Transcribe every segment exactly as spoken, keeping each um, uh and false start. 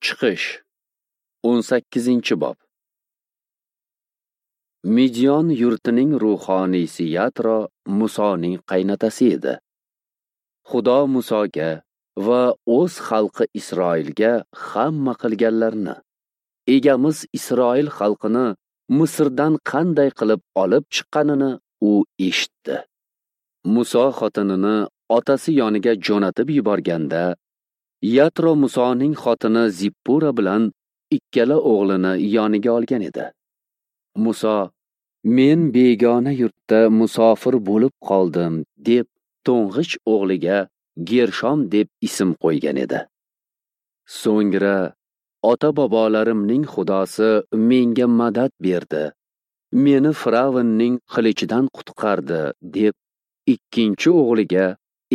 Chiqish o'n sakkizinchi bob. Midyon yurtining ruhoniysi Yatro Musoning qaynotasi edi. Xudo Musoga va o'z xalqi Isroilga hamma qilganlarini, egamiz Isroil xalqini Misrdan qanday qilib olib chiqqanini u eshitdi. Muso xotinini otasi yoniga jo'natib yuborganda, Yatro Musoning xotini Zippura bilan ikkala o'g'lini yoniga olgan edi. Muso, "Men begona yurtda musofir bo'lib qoldim" deb to'ng'ich o'g'liga Gershom deb ism qo'ygan edi. So'ngra ota-bobolarimning Xudosi menga madad berdi, meni Firavnning qilichidan qutqardi deb ikkinchi o'g'liga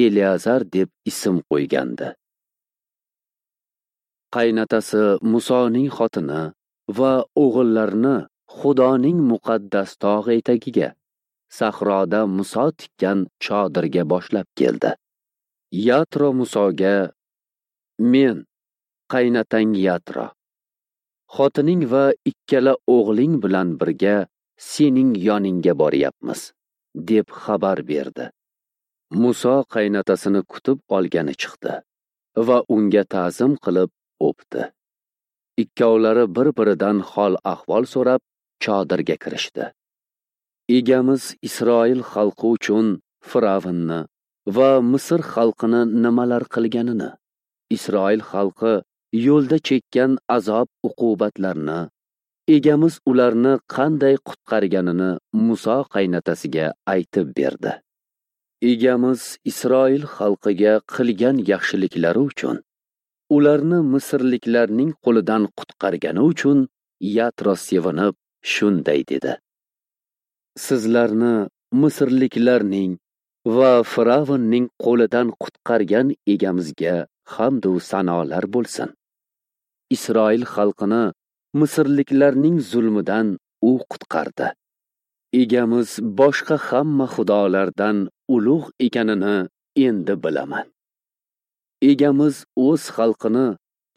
Eliazar deb ism qo'ygandi. Qaynotasi Musoning xotini va o'g'illarini Xudoning muqaddas tog'i etagiga, sahroda Muso tikkan chodirga boshlab keldi. Yatro Musoga: "Men qaynotang Yatro, xotining va ikkala o'g'ling bilan birga sening yoningga boryapmiz" deb xabar berdi. Muso qaynotasini kutib olgani chiqdi va unga ta'zim qilib o'pdi. Ikkovlari bir-biridan hol-ahvol so'rab chodirga kirishdi. Egamiz Isroil xalqi uchun Firavnni va Misr xalqini nimalar qilganini, Isroil xalqi yo'lda chekkan azob uqubatlarni, egamiz ularni qanday qutqarganini Muso qaynotasiga aytib berdi. Egamiz Isroil xalqiga qilgan yaxshiliklari uchun, ularni misrliklarning qo'lidan qutqargani uchun Yatro sevinib shunday dedi: "Sizlarni misrliklarning va Firavnning qo'lidan qutqargan egamizga hamd va sanolar bo'lsin. Isroil xalqini misrliklarning zulmidan u qutqardi. Egamiz boshqa hamma xudolardan ulug' ekanini endi bilaman. Egamiz o'z xalqini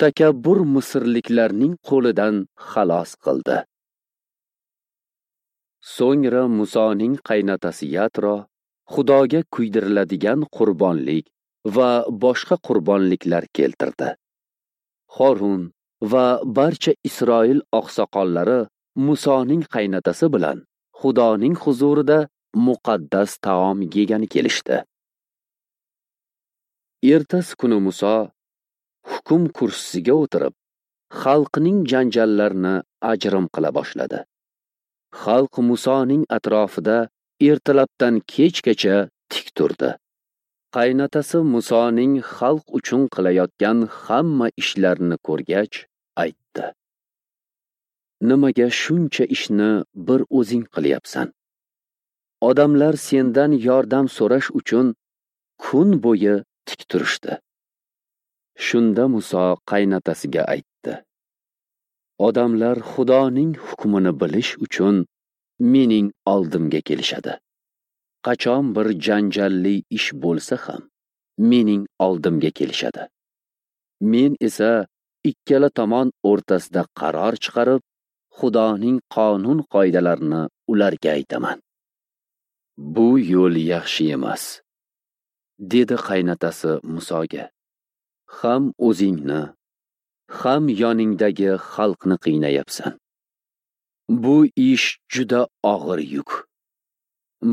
takabbur misrliklarning qo'lidan xalos qildi." So'ngra Musoning qaynotasi Yatro Xudoga kuydiriladigan qurbonlik va boshqa qurbonliklar keltirdi. Xorun va barcha Isroil oqsoqollari Musoning qaynotasi bilan Xudoning huzurida muqaddas taom yegani kelishdi. Ertasi kuni Muso hukm kursisiga o'tirib, xalqning janjallarini ajrim qila boshladi. Xalq Musoning atrofida ertalabdan kechgacha tik turdi. Qaynotasi Musoning xalq uchun qilayotgan hamma ishlarini ko'rgach, aytdi: "Nimaga shuncha ishni bir o'zing qilyapsan? Odamlar sendan yordam so'rash uchun kun bo'yi tik turishdi." Shunda Muso qaynotasiga aytdi: "Odamlar Xudoning hukmini bilish uchun mening oldimga kelishadi. Qachon bir janjalli ish bo'lsa ham mening oldimga kelishadi. Men esa ikkala tomon o'rtasida qaror chiqarib, Xudoning qonun qoidalarini ularga aytaman. Bu yo'l yaxshi emas" dedi qaynotasi Musoga. "Ham o'zingni, ham yoningdagi xalqni qiynayapsan. Bu ish juda og'ir yuk.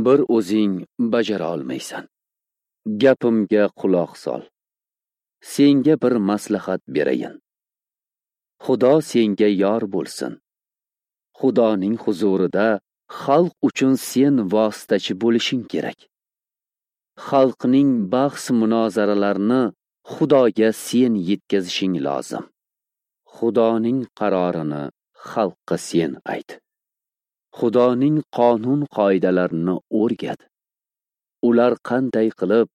Bir o'zing bajara olmaysan. Gapimga quloq sol. Senga bir maslahat berayin. Xudo senga yor bo'lsin. Xudoning huzurida xalq uchun sen vositachi bo'lishing kerak. Xalqning bahs munozaralarini Xudoga sen yetkazishing lozim. Xudoning qarorini xalqqa sen ayt. Xudoning qonun qoidalarini o'rgat. Ular qanday qilib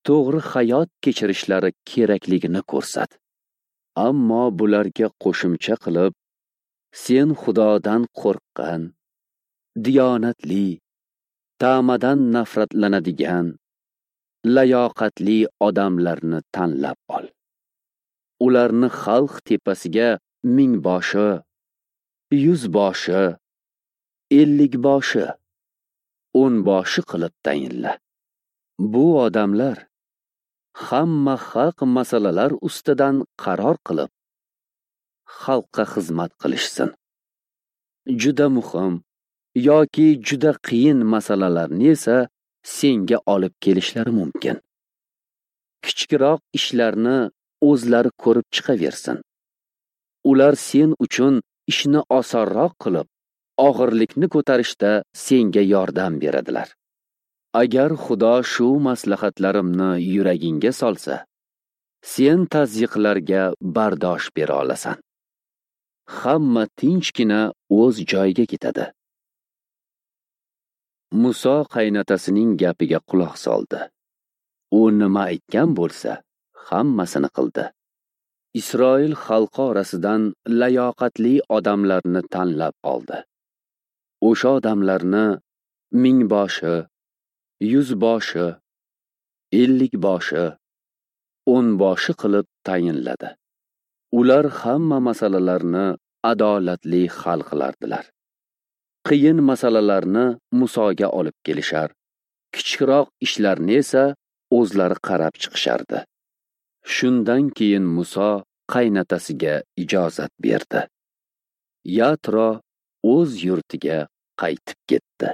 to'g'ri hayot kechirishlari kerakligini ko'rsat. Ammo bularga qo'shimcha qilib, sen Xudodan qo'rqqan, diyonatli, ta'madan nafratlanadigan, layoqatli odamlarni tanlab ol. Ularni xalq tepasiga mingboshi, yuzboshi, ellikboshi, o'nboshi qilib tayinla. Bu odamlar hamma haq masalalar ustidan qaror qilib, xalqqa xizmat qilishsin. Juda muhim yoki juda qiyin masalalarni esa senga olib kelishlari mumkin. Kichikroq ishlarni o'zlari ko'rib chiqaversin. Ular sen uchun ishni osonroq qilib, og'irlikni ko'tarishda senga yordam beradilar. Agar Xudo shu maslahatlarimni yuragingga solsa, sen tazyiqlarga bardosh bera olasan. Hamma tinchgina o'z joyiga ketadi. Muso qaynotasining gapiga quloq soldi. U nima aytgan bo'lsa, hammasini qildi. Isroil xalqi orasidan layoqatli odamlarni tanlab oldi. O'sha odamlarni mingboshi, yuzboshi, ellikboshi, o'nboshi qilib tayinladi. Ular hamma masalalarni adolatli hal qilardilar. Qiyin masalalarni Musoga olib kelishar, kichikroq ishlarni esa o'zlari qarab chiqishardi. Shundan keyin Muso qaynotasiga ijozat berdi. Yatro o'z yurtiga qaytib ketdi.